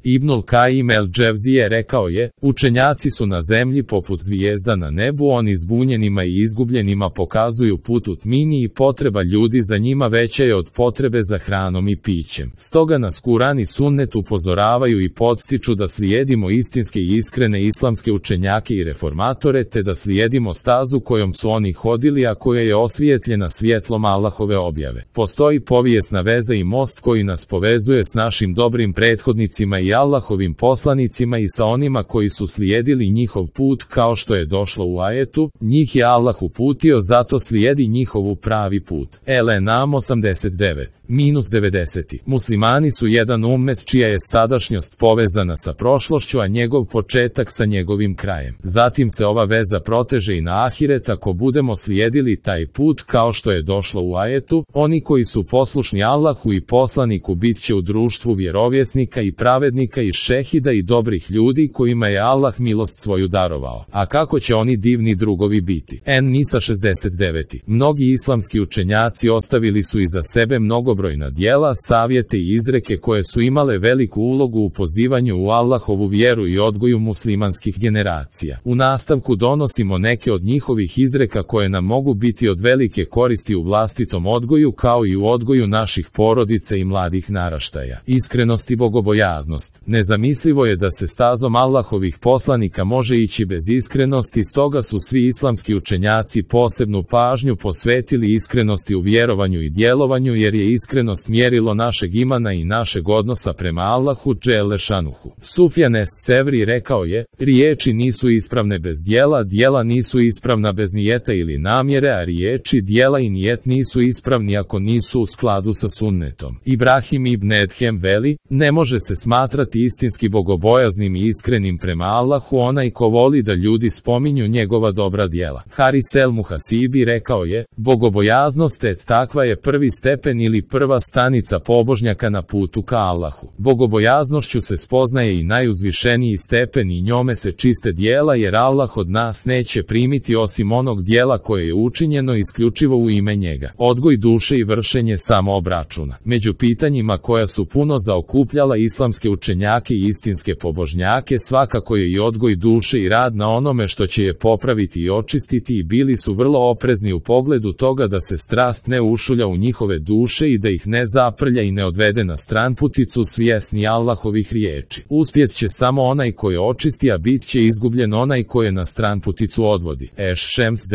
Ibnul Kajim el-Dževzije rekao je, učenjaci su na zemlji poput zvijezda na nebu, oni zbunjenima i izgubljenima pokazuju put u tmini i potreba ljudi za njima veća je od potrebe za hranom i pićem. Stoga nas Kuran i Sunnet upozoravaju i podstiču da slijedimo istinske i iskrene islamske učenjake i reformatore, te da slijedimo stazu kojom su oni hodili, a koja je osvijetljena svjetlom Allahove objave. Postoji povijesna veza i most koji nas povezuje s našim dobrim prethodnicima i Allahovim poslanicima i sa onima koji su slijedili njihov put, kao što je došlo u ajetu, njih je Allah uputio, zato slijedi njihovu pravi put. El-Enam 89-90. Muslimani su jedan ummet čija je sadašnjost povezana sa prošlošću, a njegov početak sa njegovim krajem. Zatim se ova veza proteže i na ahiret ako budemo slijedili taj put, kao što je došlo u ajetu, oni koji su poslušni Allahu i poslaniku bit će u društvu vjerovjesnika i pravednika i šehida i dobrih ljudi kojima je Allah milost svoju darovao. A kako će oni divni drugovi biti? En-Nisa 69. Mnogi islamski učenjaci ostavili su iza sebe mnogobrojna djela, savjete i izreke koje su imale veliku ulogu u pozivanju u Allahovu vjeru i odgoju muslimanskih generacija. U nastavku donosimo neke od njihovih izreka koje nam mogu biti od velike koristi u vlastitom odgoju, kao i u odgoju naših porodica i mladih naraštaja. Iskrenost i bogobojaznost. Nezamislivo je da se stazom Allahovih poslanika može ići bez iskrenosti, stoga su svi islamski učenjaci posebnu pažnju posvetili iskrenosti u vjerovanju i djelovanju, jer je iskrenost mjerilo našeg imana i našeg odnosa prema Allahu dželle šanuhu. Sufjan es-Sevri rekao je, riječi nisu ispravne bez djela, djela nisu ispravna bez nijeta ili namjere, a riječi, djela i nijet nisu ispravni ako nisu u skladu sa sunnetom. Ibrahim ibn Edhem veli, ne može se smatrati istinski bogobojaznim i iskrenim prema Allahu onaj ko voli da ljudi spominju njegova dobra djela. Haris el-Muhasibi rekao je, bogobojaznost takva je prvi stepen ili prva stanica pobožnjaka na putu ka Allahu. Bogobojaznošću se spoznaje i najuzvišeniji stepen i njome se čiste djela, jer Allah od nas neće primiti osim onog djela koje je učinjeno isključivo u ime njega. Odgoj duše i vršenje samoobračuna. Među pitanjima koja su puno zaokupljala islamske učenjake i istinske pobožnjake svakako je i odgoj duše i rad na onome što će je popraviti i očistiti, i bili su vrlo oprezni u pogledu toga da se strast ne ušulja u njihove duše i da ih ne zaprlja i ne odvede na stranputicu, svjesni Allahovih riječi. Uspjet će samo onaj koji očisti, a bit će izgubljen onaj koji na stranputicu odvodi. Eš-Šems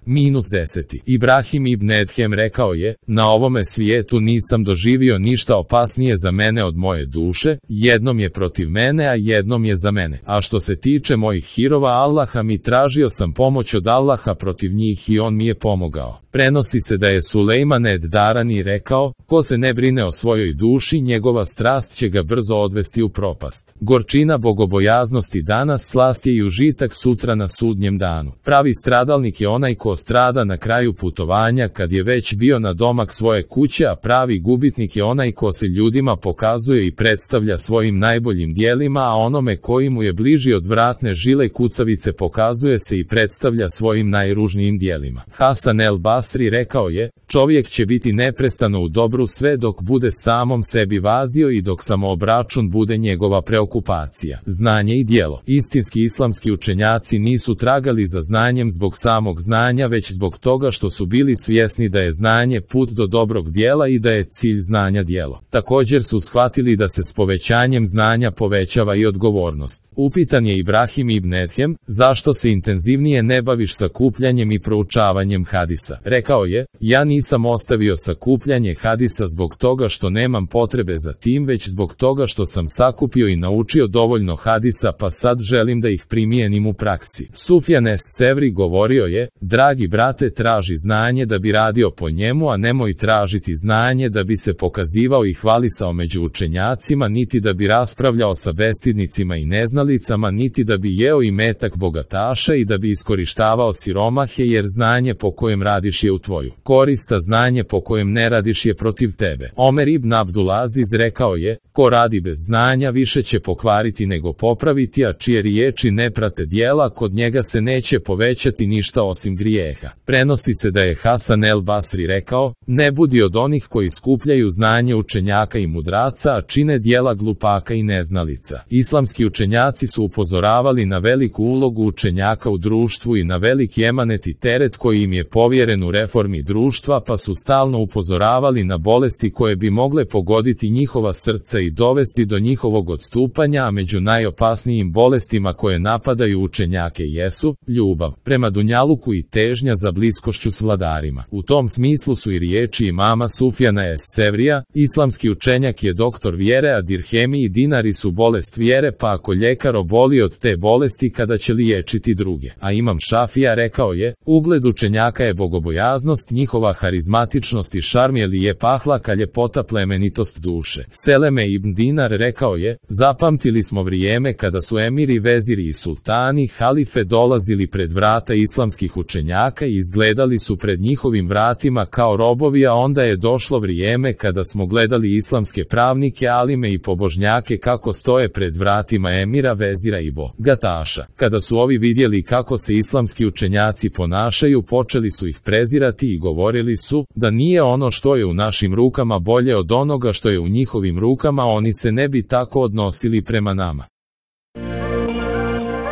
9-10. Ibrahim ibn Edhem rekao je, na ovome svijetu nisam doživio ništa opasnije za mene od moje duše, jednom je protiv mene, a jednom je za mene. A što se tiče mojih hirova Allaha mi, tražio sam pomoć od Allaha protiv njih i on mi je pomogao. Prenosi se da je Sulejman ed-Darani rekao, ko se ne brine o svojoj duši, njegova strast će ga brzo odvesti u propast. Gorčina bogobojaznosti danas, slast je i užitak sutra na sudnjem danu. Pravi stradalnik je onaj ko strada na kraju putovanja kad je već bio na domak svoje kuće, a pravi gubitnik je onaj ko se ljudima pokazuje i predstavlja svojim najboljim dijelima, a onome koji mu je bliži od vratne žile kucavice pokazuje se i predstavlja svojim najružnijim dijelima. Hasan el-Basri rekao je, čovjek će biti neprestano u dobru sve dok bude samom sebi vazio i dok samoobračun bude njegova preokupacija. Znanje i djelo. Istinski islamski učenjaci nisu tragali za znanjem zbog samog znanja, već zbog toga što su bili svjesni da je znanje put do dobrog djela i da je cilj znanja djelo. Također su shvatili da se s povećanjem znanja povećava i odgovornost. Upitan je Ibrahim ibn Edhem, zašto se intenzivnije ne baviš sakupljanjem i proučavanjem hadisa? Rekao je, ja nisam ostavio sakupljanje hadisa zbog toga što nemam potrebe za tim, već zbog toga što sam sakupio i naučio dovoljno hadisa, pa sad želim da ih primijenim u praksi. Sufjan es-Sevri govorio je, dragi brate, traži znanje da bi radio po njemu, a nemoj tražiti znanje da bi se pokazivao i hvalisao među učenjacima, niti da bi raspravljao sa bestidnicima i neznalicama, niti da bi jeo imetak bogataša i da bi iskorištavao siromahe, jer znanje po kojem radiš je u tvoju korist, a znanje po kojem ne radiš je protiv tebe. Omer ibn Abdulaziz rekao je, ko radi bez znanja više će pokvariti nego popraviti, a čije riječi ne prate djela, kod njega se neće povećati ništa osim grijeha. Prenosi se da je Hasan el-Basri rekao, ne budi od onih koji skupljaju znanje učenjaka i mudraca, a čine djela glupa prvaka i neznalica. Islamski učenjaci su upozoravali na veliku ulogu učenjaka u društvu i na veliki emanet i teret koji im je povjeren u reformi društva, pa su stalno upozoravali na bolesti koje bi mogle pogoditi njihova srca i dovesti do njihovog odstupanja, a među najopasnijim bolestima koje napadaju učenjake jesu ljubav prema dunjaluku i težnja za bliskošću s vladarima. U tom smislu su i riječi imama Sufjana es-Sevrija: islamski učenjak je doktor vjere, a dirhemi i dinari su bolest vjere, pa ako ljekar oboli od te bolesti, kada će liječiti druge. A imam Šafija rekao je: ugled učenjaka je bogobojaznost, njihova harizmatičnost i šarm je lijep ahlak, a ljepota plemenitost duše. Seleme ibn Dinar rekao je: zapamtili smo vrijeme kada su emiri, veziri i sultani, halife dolazili pred vrata islamskih učenjaka i izgledali su pred njihovim vratima kao robovi, a onda je došlo vrijeme kada smo gledali islamske pravnike, alime i pobožnjake kako stoje pred vratima emira, vezira i bogataša. Kada su ovi vidjeli kako se islamski učenjaci ponašaju, počeli su ih prezirati i govorili su da nije ono što je u našim rukama bolje od onoga što je u njihovim rukama, oni se ne bi tako odnosili prema nama.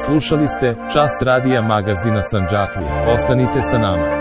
Slušali ste Čas radija magazina Sandžaklija. Ostanite sa nama.